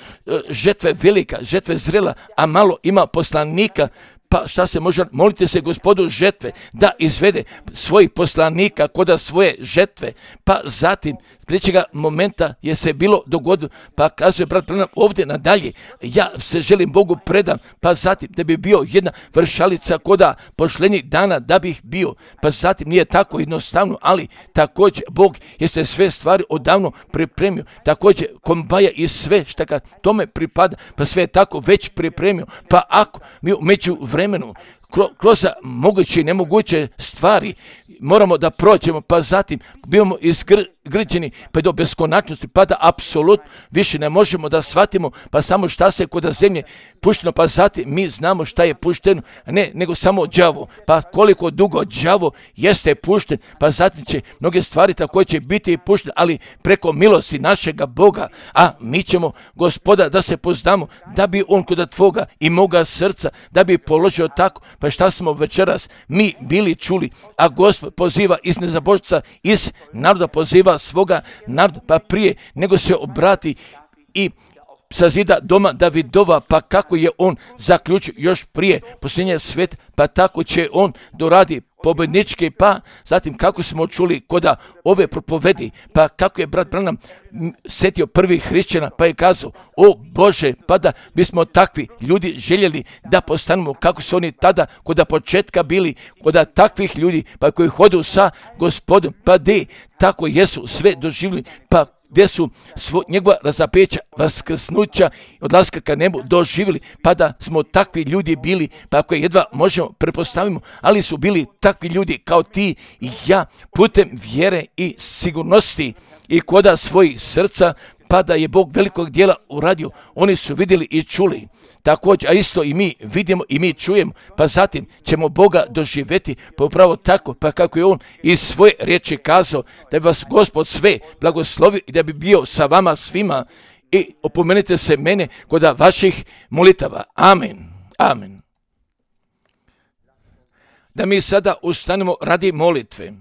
žetve velika, žetve zrela, a malo ima poslanika, Pa šta se može, molite se Gospodu žetve da izvede svojih poslanika koda svoje žetve. Pa zatim sljedećega momenta je se bilo dogodilo, pa kazuje brat Branham ovdje nadalje, ja se želim Bogu predam, pa zatim da bi bio jedna vršalica koda pošlenjih dana da bih bio, pa zatim nije tako jednostavno, ali također Bog je se sve stvari odavno pripremio, također kombaja i sve što ka tome pripada, pa sve je tako već pripremio, pa ako mi među vremenu kroz moguće i nemoguće stvari moramo da prođemo, pa zatim bivamo izgrđeni pa do beskonačnosti, pa da apsolutno više ne možemo da shvatimo, pa samo šta se kod zemlje pušteno, pa zatim mi znamo šta je pušteno, ne nego samo đavo, pa koliko dugo đavo jeste pušten, pa zatim će mnoge stvari tako će biti puštene, ali preko milosti našega Boga, a mi ćemo Gospoda da se poznamo, da bi on kod tvoga i moga srca, da bi položio tako. Pa šta smo večeras mi bili čuli, a Gospod poziva iz nezabožca, iz naroda poziva svoga naroda, pa prije nego se obrati i sazida doma Davidova, pa kako je on zaključio još prije posljednje svet, pa tako će on doradi pobjednički, pa zatim kako smo čuli koda ove propovedi, pa kako je brat Branham setio prvih hrišćana, pa je kazao, o Bože, pa da bismo takvi ljudi željeli da postanemo kako su oni tada koda početka bili, koda takvih ljudi, pa koji hodu sa Gospodom, pa de tako jesu sve doživjeli, pa gdje su svo, njegova razapeća, vaskrsnuća, odlaska ka nebu doživjeli, pa da smo takvi ljudi bili, pa ako jedva možemo prepostavimo, ali su bili takvi ljudi kao ti i ja, putem vjere i sigurnosti i koda svojih srca, pa da je Bog velikog dijela uradio, oni su vidjeli i čuli. Također, a isto i mi vidimo i mi čujemo, pa zatim ćemo Boga doživjeti, pa upravo tako, pa kako je on iz svoje riječi kazao, da bi vas Gospod sve blagoslovio i da bi bio sa vama svima i opomenite se mene kod vaših molitava. Amen. Amen. Da mi sada ustanemo radi molitve.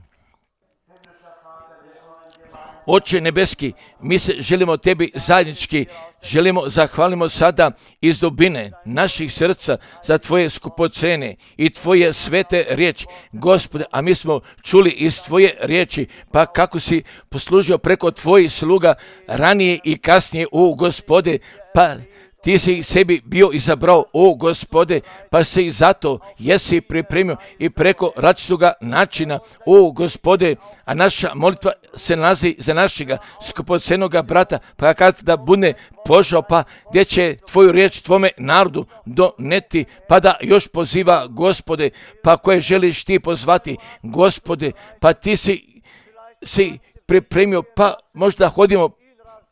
Oče nebeski, mi se želimo tebi zajednički, želimo, zahvalimo sada iz dubine naših srca za tvoje skupocene i tvoje svete riječi, Gospode, a mi smo čuli iz tvoje riječi, pa kako si poslužio preko tvojih sluga ranije i kasnije, o Gospode, pa ti si sebi bio izabrao, o Gospode, pa se i zato jesi pripremio i preko različitoga načina, o Gospode, a naša molitva se nalazi za našega skupocenoga brata, pa kad da bude požao, pa gdje će tvoju riječ tvome narodu doneti, pa da još poziva, Gospode, pa koje želiš ti pozvati, Gospode, pa ti si, si pripremio, pa možda hodimo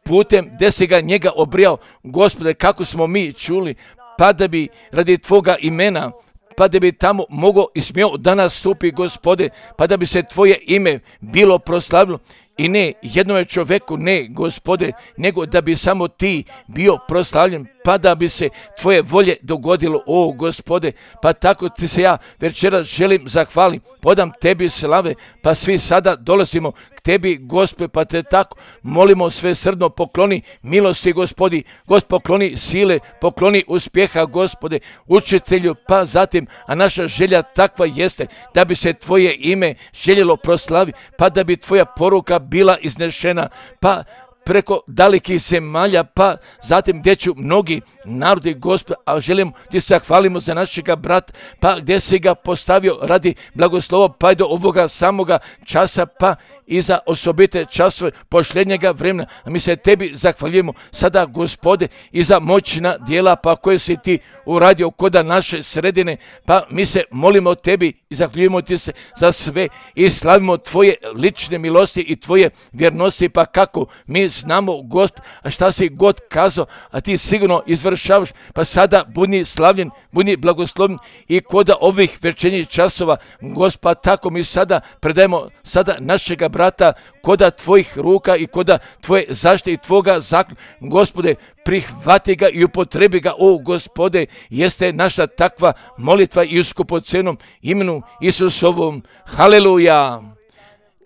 putem gdje si ga njega obrijao, Gospode, kako smo mi čuli, pa da bi radi tvoga imena, pa da bi tamo mogao i smio danas stupi, Gospode, pa da bi se tvoje ime bilo proslavilo i ne jednome čoveku, ne, Gospode, nego da bi samo ti bio proslavljen, pa da bi se tvoje volje dogodilo, o Gospode, pa tako ti se ja večeras želim zahvalim, podam tebi slave, pa svi sada dolazimo k tebi, Gospode, pa te tako molimo sve srdno, pokloni milosti, Gospodi, Gospod, pokloni sile, pokloni uspjeha, Gospode, učitelju, pa zatim, a naša želja takva jeste da bi se tvoje ime željelo proslavi, pa da bi tvoja poruka bila iznešena, pa preko dalekih zemalja, pa zatim gdje ću mnogi narodi, Gospod, a želimo ti se zahvalimo za našega brata, pa gdje si ga postavio radi blagoslova, pa i do ovoga samoga časa, pa i za osobite časove posljednjega vremena. A mi se tebi zahvaljujemo sada, Gospode, i za moćna djela, pa koje si ti uradio koda naše sredine, pa mi se molimo tebi i zahvaljujemo ti se za sve i slavimo tvoje lične milosti i tvoje vjernosti, pa kako mi znamo, Gospod, a šta si god kazao, a ti sigurno izvršavaš, pa sada budi slavljen, budi blagoslovljen i koda ovih večernjih časova, Gospod, tako mi sada predajemo sada našega brata koda tvojih ruka i koda tvoje zaštite i tvoga zakona, Gospode, prihvati ga i upotrebi ga, o Gospode, jeste naša takva molitva i u skupocenom imenu Isusovom. Haleluja!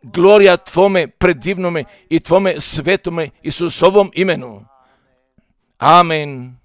Glorija tvome predivnome i tvome svetome Isusovom imenu. Amen.